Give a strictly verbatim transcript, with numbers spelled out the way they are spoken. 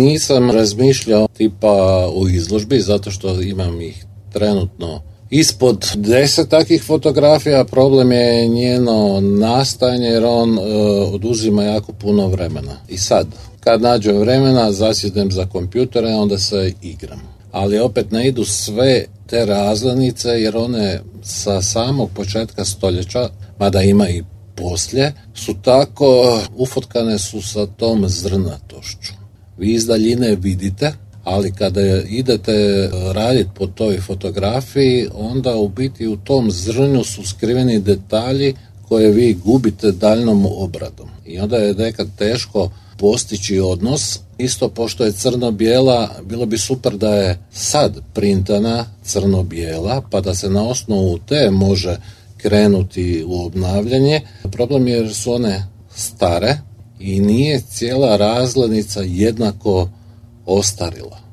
nisam razmišljao tipa u izložbi, zato što imam ih trenutno ispod deset takvih fotografija. Problem je njeno nastajanje jer on e, oduzima jako puno vremena. I sad, kad nađem vremena, zasjednem za kompjutere, onda se igram. Ali opet ne idu sve te razglednice jer one sa samog početka stoljeća, mada ima i poslije, su tako ufotkane su sa tom zrnatošću. Vi iz daljine vidite, ali kada idete raditi po toj fotografiji, onda u biti u tom zrnju su skriveni detalji koje vi gubite daljnom obradom. I onda je nekad teško postići odnos. Isto pošto je crno-bijela, bilo bi super da je sad printana crno-bijela, pa da se na osnovu te može krenuti u obnavljanje. Problem je jer su one stare i nije cijela razglednica jednako ostarila.